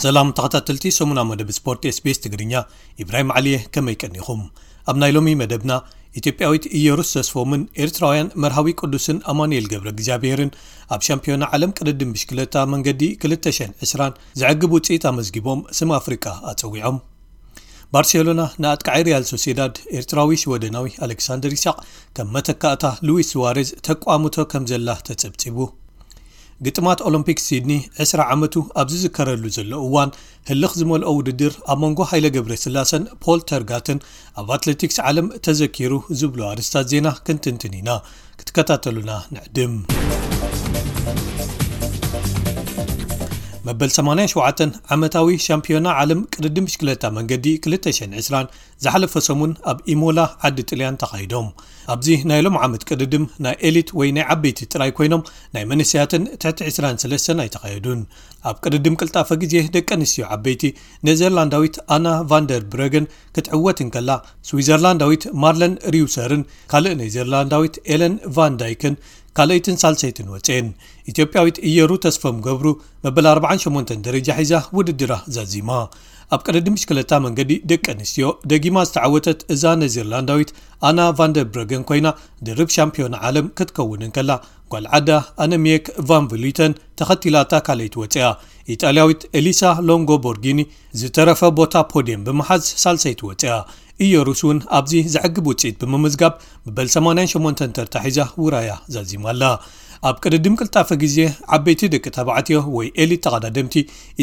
ሰላም ተኸታተልቲ ሰሙና መደብ ስፖርት SBS ትግርኛ፣ ኢብራሂም ዓሊየ፣ ከመይ ቀኒኹም? ኣብ ናይ ሎሚ መደብና፣ ኢትዮጵያዊት ኢየሩስ ተስፎምን ኤርትራውያን መርሃዊ ቅዱስን ኣማኑኤል ገብረ እግዚኣብሔርን ኣብ ሻምፒዮና ዓለም ቅድድም ብሽክለታ መንገዲ ክልተ ሽሕን ዕስራን ዘዕግብ ውጽኢት ኣመዝጊቦም ስም ኣፍሪቃ ኣጸዊዖም። ባርሴሎና ንኣጥቃዒ ሪያል ሶሴዳድ ኤርትራዊ ሽወደናዊ ኣሌክሳንደር ኢሳቕ ከም መተካእታ ሉዊስ ሱዋሬዝ ተቋምቶ ከም ዘላ ተጸብጺቡ። ግጥማት ኦሎምፒክ ሲድኒ ዕስራ ዓመቱ ኣብ ዝዝከረሉ ዘሎ እዋን፣ ህልኽ ዝመልኦ ውድድር ኣብ መንጎ ሃይለ ገብረስላሰን ፖል ተርጋትን ኣብ ኣትሌቲክስ ዓለም ተዘኪሩ ዝብሉ ኣርእስታት ዜና ክንትንትን ኢና። ክትከታተሉና ንዕድም። መበል ሰማንያን ሸውዓተን ዓመታዊ ሻምፒዮና ዓለም ቅድድም ብሽክለታ መንገዲ ክልተ ሽሕን ዕስራን ዝሓለፈ ሰሙን ኣብ ኢሞላ ዓዲ ጥልያን ተኻይዶም። ኣብዚ ናይ ሎም ዓመት ቅድድም ናይ ኤሊት ወይ ናይ ዓበይቲ ጥራይ ኮይኖም፣ ናይ መንእሰያትን ትሕቲ ዕስራን ሰለስተን ኣይተኻየዱን። ኣብ ቅድድም ቅልጣፈ ግዜ ደቂ ኣንስትዮ ዓበይቲ፣ ኔዘርላንዳዊት ኣና ቫንደር ብረገን ክትዕወት እንከላ፣ ስዊዘርላንዳዊት ማርለን ሪውሰርን ካልእ ኔዘርላንዳዊት ኤለን ቫን ዳይክን ካልኣይትን ሳልሰይትን ወፅኤን። ኢትዮጵያዊት እየሩ ተስፎም ገብሩ መበል ኣርባዓን ሸሞንተን ደረጃ ሒዛ ውድድራ ዛዚማ። ኣብ ቅድድም ብሽክለታ መንገዲ ደቂ ኣንስትዮ ደጊማ ዝተዓወተት እዛ ኔዘርላንዳዊት ኣና ቫንደር ብረገን ኮይና፣ ድርብ ሻምፒዮን ዓለም ክትከውን እንከላ፣ ጓል ዓዳ ኣነሚየክ ቫን ቭሉተን ተኸቲላታ ካልኣይቲ ወፅያ። ኢጣልያዊት ኤሊሳ ሎንጎ ቦርጊኒ ዝተረፈ ቦታ ፖድየም ብምሓዝ ሳልሰይቲ ወፅያ። ኢየሩስ እውን ኣብዚ ዘዕግብ ውፅኢት ብምምዝጋብ መበል ሰማንያን ሸሞንተን ተርታ ሒዛ ውራያ ዛዚማ ኣላ። ኣብ ቅድድም ቅልጣፈ ግዜ ዓበይቲ ደቂ ተባዕትዮ ወይ ኤሊት ተቐዳደምቲ፣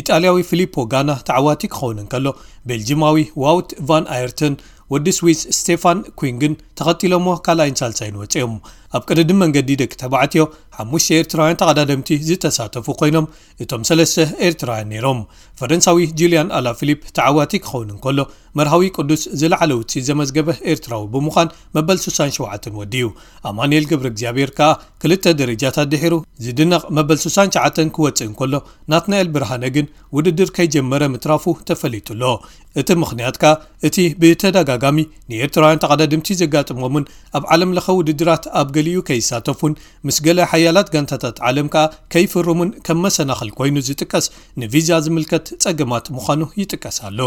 ኢጣልያዊ ፊሊፖ ጋና ተዓዋቲ ክኸውን እንከሎ፣ ቤልጂማዊ ዋውት ቫን ኣየርተን ወዲ ስዊስ ስቴፋን ኩንግን ተኸቲሎሞ ካልኣይን ሳልሳይን ወፂኦም። ኣብ ቅድድም መንገዲ ደቂ ተባዕትዮ ሓሙሽተ ኤርትራውያን ተቐዳደምቲ ዝተሳተፉ ኮይኖም፣ እቶም ሰለስተ ኤርትራውያን ነይሮም። ፈረንሳዊ ጁልያን ኣላ ፊሊፕ ተዓዋቲ ክኸውን እንከሎ፣ መርሃዊ ቅዱስ ዝለዓለ ውፅኢት ዘመዝገበ ኤርትራዊ ብምዃን መበል ስሳን ሸውዓተን ወዲኡ። ኣማኑኤል ገብረ እግዚኣብሔር ከኣ ክልተ ደረጃታት ድሒሩ ዝድነቕ መበል ስሳን ትሽዓተን ክወፅእ እንከሎ፣ ናትናኤል ብርሃነ ግን ውድድር ከይጀመረ ምትራፉ ተፈሊጡ ኣሎ። እቲ ምኽንያት ከኣ እቲ ብተደጋጋሚ ንኤርትራውያን ተቐዳደምቲ ዘጋጥሞምን ኣብ ዓለም ለኸ ውድድራት ኣብ ገሊኡ ከይሳተፉን ምስ ገለ ሓያላት ጋንታታት ዓለም ከኣ ከይፍርሙን ከም መሰናኽል ኮይኑ ዝጥቀስ ንቪዛ ዝምልከት ጸገማት ምዃኑ ይጥቀስ ኣሎ።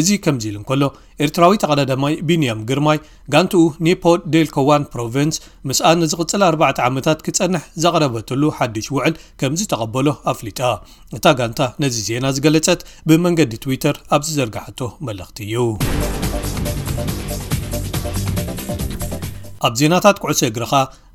እዚ ከምዚ ኢሉ እንከሎ፣ ኤርትራዊ ተቐዳዳማይ ቢንያም ግርማይ ጋንትኡ ኒፖ ዴልኮ ዋን ፕሮቪንስ ምስኣ ንዝቕጽል ኣርባዕተ ዓመታት ክጸንሕ ዘቕረበትሉ ሓድሽ ውዕል ከም ዝተቐበሎ ኣፍሊጣ። እታ ጋንታ ነዚ ዜና ዝገለጸት ብመንገዲ ትዊተር ኣብ ዝዘርግሓቶ መልእኽቲ እዩ። ኣብ ዜናታት ኩዕሶ እግርኻ፣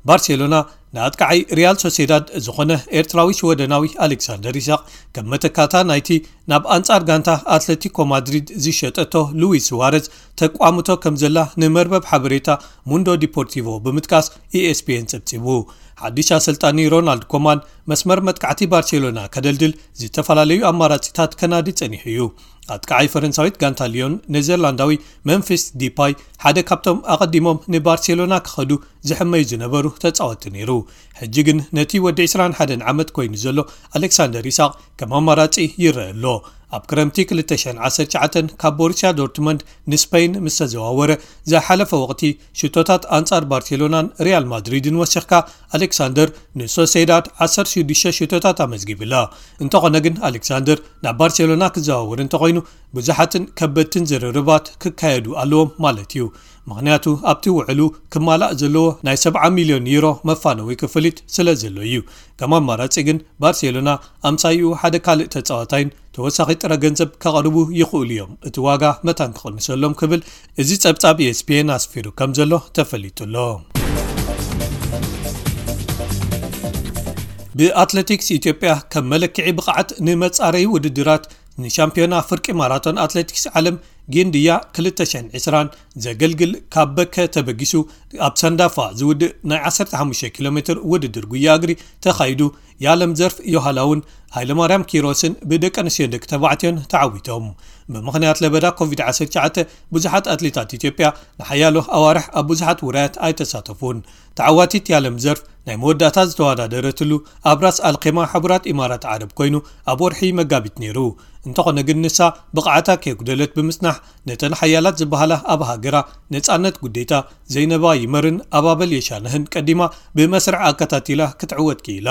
ባርሴሎና ንኣጥቃዓይ ሪያል ሶሴዳድ ዝኾነ ኤርትራዊ ሽወደናዊ ኣሌክሳንደር ኢሳቕ ከም መተካታ ናይቲ ናብ ኣንጻር ጋንታ ኣትለቲኮ ማድሪድ ዝሸጠቶ ሉዊስ ሱዋረዝ ተቋምቶ ከም ዘላ ንመርበብ ሓበሬታ ሙንዶ ዲፖርቲቮ ብምጥቃስ ኢኤስፒኤን ጸብጺቡ። ሓድሽ ኣሰልጣኒ ሮናልድ ኮማን መስመር መጥቃዕቲ ባርሴሎና ከደልድል ዝተፈላለዩ ኣማራጺታት ከናዲ ጸኒሑ እዩ። ኣጥቃዓይ ፈረንሳዊት ጋንታ ሊዮን ኔዘርላንዳዊ መምፊስ ዲፓይ ሓደ ካብቶም ኣቐዲሞም ንባርሴሎና ክኸዱ ዝሕመዩ ዝነበሩ ተጻወትቲ ነይሩ። ሕጂ ግን ነቲ ወዲ ዕስራን ሓደን ዓመት ኮይኑ ዘሎ ኣሌክሳንደር ኢሳቕ ከም ኣማራጺ ይረአ ኣሎ። ኣብ ክረምቲ ክልተ ሽሕን ዓሰርተ ትሽዓተን ካብ ቦሩስያ ዶርትመንድ ንስፐይን ምስ ተዘዋወረ፣ ዝሓለፈ ወቕቲ ሽቶታት ኣንጻር ባርሴሎናን ሪያል ማድሪድን ወሲኽካ፣ ኣሌክሳንደር ንሶሴዳድ ዓሰርተ ሽዱሽተ ሽቶታት ኣመዝጊብላ። እንተኾነ ግን፣ ኣሌክሳንደር ናብ ባርሴሎና ክዘዋወር እንተኾይኑ፣ ብዙሓትን ከበድትን ዝርርባት ክካየዱ ኣለዎም ማለት እዩ። ምኽንያቱ፣ ኣብቲ ውዕሉ ክማላእ ዘለዎ ናይ ሰብዓ ሚልዮን ዩሮ መፋነዊ ክፍሊት ስለ ዘሎ እዩ። ከም ኣማራጺ ግን፣ ባርሴሎና ኣምሳይኡ ሓደ ካልእ ተጻዋታይን ተወሳኺ ጥረ ገንዘብ ከቕርቡ ይኽእሉ እዮም፣ እቲ ዋጋ መታን ክቕንሰሎም ክብል እዚ ጸብጻብ ኢኤስፒኤን ኣስፊሩ ከም ዘሎ ተፈሊጡ ኣሎ። ብኣትሌቲክስ፣ ኢትዮጵያ ከም መለክዒ ብቕዓት ንመጻረዪ ውድድራት ንሻምፒዮና ፍርቂ ማራቶን ኣትሌቲክስ ዓለም ጊንድያ ክልተ ሽሕን ዕስራን ዘገልግል፣ ካብ በከ ተበጊሱ ኣብ ሰንዳፋ ዝውድእ ናይ ዓሰርተ ሓሙሽተ ኪሎ ሜትር ውድድር ጉያ እግሪ ተኻይዱ፣ የዓለም ዘርፍ ዮሃላውን ሃይለማርያም ኪሮስን ብደቂ ኣንስትዮን ደቂ ተባዕትዮን ተዓዊቶም። ብምኽንያት ለበዳ ኮቪድ ዓሰርተ ትሽዓተ ብዙሓት ኣትሌታት ኢትዮጵያ ንሓያሎ ኣዋርሕ ኣብ ብዙሓት ውራያት ኣይተሳተፉን። ተዓዋቲት የዓለም ዘርፍ ናይ መወዳእታ ዝተወዳደረትሉ ኣብ ራስ ኣልኼማ ሕቡራት ኢማራት ዓረብ ኮይኑ ኣብ ወርሒ መጋቢት ነይሩ። እንተኾነ ግን ንሳ ብቕዓታ ከየጉደለት ብምጽናሕ፣ ነተን ሓያላት ዝበሃላ ኣብ ሃገራ ነጻነት ጉዴታ ዘይነባ ይመርን ኣባበል የሻነህን ቀዲማ ብመስርዕ ኣከታቲላ ክትዕወት ክኢላ።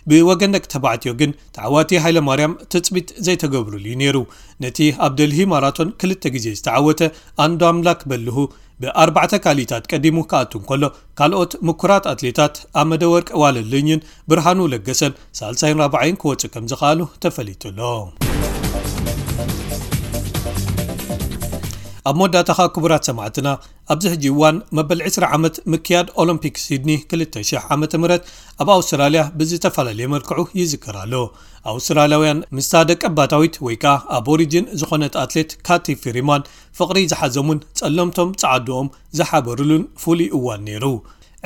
ብወገን ደቂ ተባዕትዮ ግን ተዓዋቲ ሃይለማርያም ትጽቢት ዘይተገብሩሉ እዩ ነይሩ። ነቲ ኣብ ደልሂ ማራቶን ክልተ ግዜ ዝተዓወተ ኣንዶ ኣምላክ በልሁ ብኣርባዕተ ካልኢታት ቀዲሙ ክኣቱ እንከሎ፣ ካልኦት ምኩራት ኣትሌታት ኣመደ ወርቅ ዋለልኝን ብርሃኑ ለገሰን ሳልሳይን ራብዓይን ክወጹ ከም ዝኸኣሉ ተፈሊጡ ኣሎ። ኣብ መወዳእታ ኸኣ ክቡራት ሰማዕትና፣ ኣብዚ ሕጂ እዋን መበል ዕስራ ዓመት ምክያድ ኦሎምፒክ ሲድኒ ክልተ ሽሕ ዓመተ ምህረት ኣብ ኣውስትራልያ ብዝተፈላለየ መልክዑ ይዝከር ኣሎ። ኣውስትራልያውያን ምስታ ደቀባታዊት ወይ ከኣ ኣቦሪጅን ዝኾነት ኣትሌት ካቲ ፊሪማን ፍቕሪ ዝሓዞምን ጸለምቶም ጸዓዱኦም ዝሓበሩሉን ፍሉይ እዋን ነይሩ።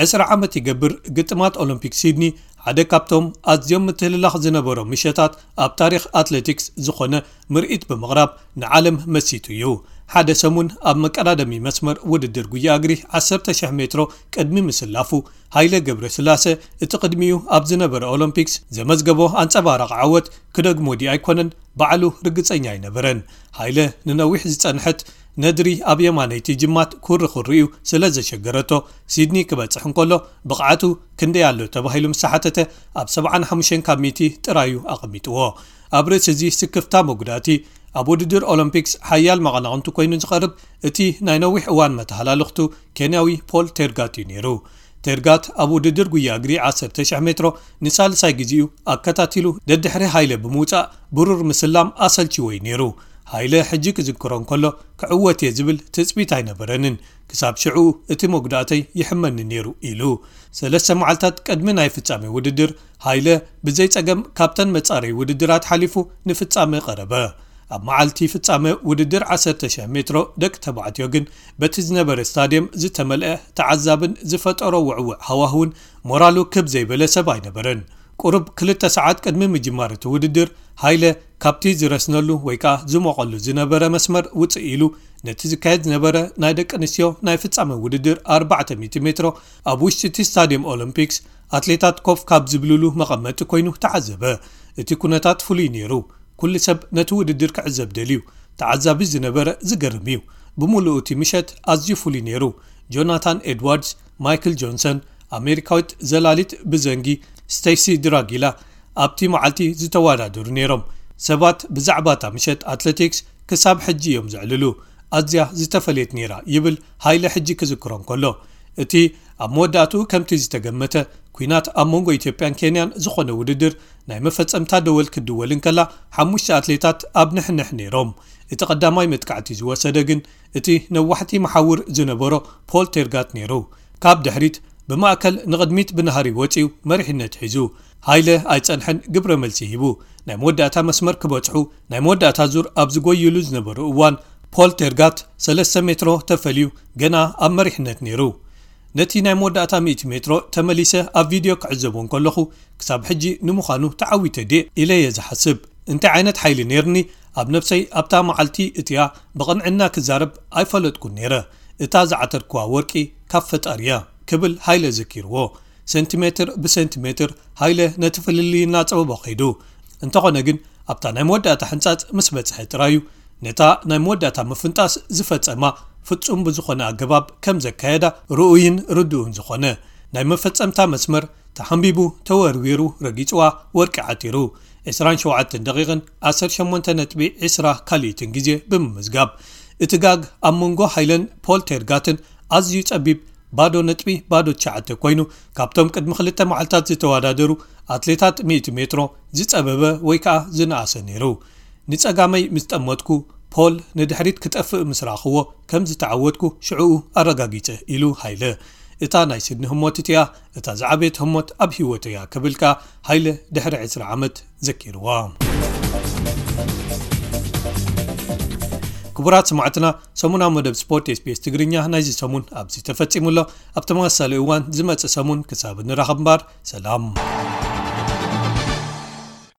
ዕስራ ዓመት ይገብር ግጥማት ኦሎምፒክ ሲድኒ ሓደ ካብቶም ኣዝዮም ምትህልላኽ ዝነበሮም ምሸታት ኣብ ታሪኽ ኣትሌቲክስ ዝኾነ ምርኢት ብምቕራብ ንዓለም መሲጡ እዩ። ሓደ ሰሙን ኣብ መቀዳደሚ መስመር ውድድር ጉያ እግሪ ዓሰርተ ሽሕ ሜትሮ ቅድሚ ምስላፉ፣ ሃይለ ገብረስላሰ እቲ ቅድሚኡ ኣብ ዝነበረ ኦሎምፒክስ ዘመዝገቦ ኣንጸባራቒ ዓወት ክደግሞ ድዩ ኣይኮነን ባዕሉ ርግጸኛ ኣይነበረን። ሃይለ ንነዊሕ ዝጸንሐት ነድሪ ኣብ የማነይቲ ጅማት ኩሪ ኩሪኡ ስለ ዘሸገረቶ፣ ሲድኒ ክበጽሕ እንከሎ ብቕዓቱ ክንደይ ኣሎ ተባሂሉ ምስ ተሓተተ፣ ኣብ ሰብዓን ሓሙሽተን ካብ ሚእቲ ጥራዩ ኣቐሚጥዎ። ኣብ ርእሲ እዚ ስክፍታ መጉዳእቲ፣ ኣብ ውድድር ኦሎምፒክስ ሓያል መቐናቕንቱ ኮይኑ ዝቐርብ እቲ ናይ ነዊሕ እዋን መተሃላልኽቱ ኬንያዊ ፖል ቴርጋት እዩ ነይሩ። ቴርጋት ኣብ ውድድር ጉያ እግሪ ዓሰርተ ሽሕ ሜትሮ ንሳልሳይ ግዜኡ ኣከታቲሉ ደድሕሪ ሃይለ ብምውጻእ ብሩር ምስላም ኣሰልችዎ እዩ ነይሩ። ሃይለ ሕጂ ክዝክሮ እንከሎ ክዕወት እየ ዝብል ትጽቢት ኣይነበረንን። ክሳብ ሽዑ እቲ መጉዳእተይ ይሕመኒ ነይሩ ኢሉ። ሰለስተ መዓልታት ቅድሚ ናይ ፍጻሜ ውድድር ሃይለ ብዘይ ጸገም ካብተን መጻረይ ውድድራት ሓሊፉ ንፍጻመ ቀረበ። ኣብ መዓልቲ ፍጻመ ውድድር ዓሰርተ ሽሕ ሜትሮ ደቂ ተባዕትዮ ግን በቲ ዝነበረ ስታድየም ዝተመልአ ተዓዛብን ዝፈጠሮ ውዕውዕ ሃዋህውን ሞራሉ ክብ ዘይበለ ሰብ ኣይነበረን። ቁሩብ ክልተ ሰዓት ቅድሚ ምጅማር እቲ ውድድር ሃይለ ካብቲ ዝረስነሉ ወይ ከኣ ዝሞቐሉ ዝነበረ መስመር ውጽእ ኢሉ ነቲ ዝካየድ ዝነበረ ናይ ደቂ ኣንስትዮ ናይ ፍጻመ ውድድር ኣርባዕተ ሚእቲ ሜትሮ ኣብ ውሽጢ እቲ ስታድየም ኦሎምፒክስ ኣትሌታት ኮፍ ካብ ዝብልሉ መቐመጢ ኮይኑ ተዓዘበ። እቲ ኩነታት ፍሉይ ነይሩ። ኩሉ ሰብ ነቲ ውድድር ክዕዘብ ደልዩ። ተዓዛቢ ዝነበረ ዝገርም እዩ። ብምሉኡ እቲ ምሸት ኣዝዩ ፍሉይ ነይሩ። ጆናታን ኤድዋርድስ፣ ማይክል ጆንሰን፣ ኣሜሪካዊት ዘላሊት ብዘንጊ ስቴሲ ድራጊላ ኣብቲ መዓልቲ ዝተወዳደሩ ነይሮም። ሰባት ብዛዕባ እታ ምሸት ኣትሌቲክስ ክሳብ ሕጂ እዮም ዘዕልሉ። ኣዝያ ዝተፈለየት ነይራ ይብል ሃይለ ሕጂ ክዝክሮ እንከሎ። እቲ ኣብ መወዳእትኡ ከምቲ ዝተገመተ ኲናት ኣብ መንጎ ኢትዮጵያን ኬንያን ዝኾነ ውድድር ናይ መፈጸምታ ደወል ክድወል እንከላ፣ ሓሙሽተ ኣትሌታት ኣብ ንሕንሕ ነይሮም። እቲ ቀዳማይ መጥቃዕቲ ዝወሰደ ግን እቲ ነዋሕቲ መሓውር ዝነበሮ ፖል ቴርጋት ነይሩ። ካብ ድሕሪት ብማእከል ንቕድሚት ብናህሪ ወጺኡ መሪሕነት ሒዙ። ሃይለ ኣይጸንሐን፣ ግብረ መልሲ ሂቡ። ናይ መወዳእታ መስመር ክበጽሑ ናይ መወዳእታ ዙር ኣብ ዝጎይሉ ዝነበሩ እዋን ፖል ቴርጋት ሰለስተ ሜትሮ ተፈልዩ ገና ኣብ መሪሕነት ነይሩ። ነቲ ናይ መወዳእታ ሚእቲ ሜትሮ ተመሊሰ ኣብ ቪድዮ ክዕዘቦ እንከለኹ፣ ክሳብ ሕጂ ንምዃኑ ተዓዊተ ድየ ኢለ እየ ዝሓስብ። እንታይ ዓይነት ሓይሊ ነይርኒ ኣብ ነብሰይ ኣብታ መዓልቲ እቲኣ ብቕንዕና ክዛረብ ኣይፈለጥኩን ነይረ። እታ ዝዓተርክዋ ወርቂ ካብ ፈጣሪ እያ ክብል ሃይለ ዘኪርዎ። ሴንቲሜትር ብሴንቲሜትር ሃይለ ነቲ ፍልልይ እናጸበቦ ከይዱ። እንተኾነ ግን ኣብታ ናይ መወዳእታ ሕንጻጽ ምስ በጽሐ ጥራዩ ነታ ናይ መወዳእታ ምፍንጣስ ዝፈጸማ ፍጹም ብዝኾነ ኣገባብ ከም ዘካየዳ ርኡይን ርዱእን ዝኾነ ናይ መፈጸምታ መስመር ተሓንቢቡ ተወርዊሩ ረጊጽዋ ወርቂ ዓቲሩ። ዕስራን ሸውዓተን ደቂቕን ዓሰርተ ሸሞንተ ነጥቢ ዕስራ ካልኢትን ግዜ ብምምዝጋብ እቲ ጋግ ኣብ መንጎ ሃይለን ፖል ቴርጋትን ኣዝዩ ጸቢብ ባዶ ነጥቢ ባዶ ትሽዓተ ኮይኑ ካብቶም ቅድሚ ክልተ መዓልታት ዝተወዳደሩ ኣትሌታት ሚእቲ ሜትሮ ዝጸበበ ወይ ከኣ ዝነኣሰ ነይሩ። ንጸጋመይ ምስ ጠመትኩ ፖል ንድሕሪት ክጠፍእ ምስ ረኣኽዎ ከም ዝተዓወትኩ ሽዕኡ ኣረጋጊጸ ኢሉ ሃይለ። እታ ናይ ሲድኒ ህሞት እቲኣ እታ ዝዓበየት ህሞት ኣብ ህይወተይ እያ ክብል ከኣ ሃይለ ድሕሪ ዕስራ ዓመት ዘኪርዋ። ክቡራት ሰማዕትና፣ ሰሙናዊ መደብ ስፖርት ኤስቢኤስ ትግርኛ ናይዚ ሰሙን ኣብዚ ተፈጺሙ ኣሎ። ኣብ ተመሳሳሊ እዋን ዝመጽእ ሰሙን ክሳብ ንራኸብ እምበር ሰላም።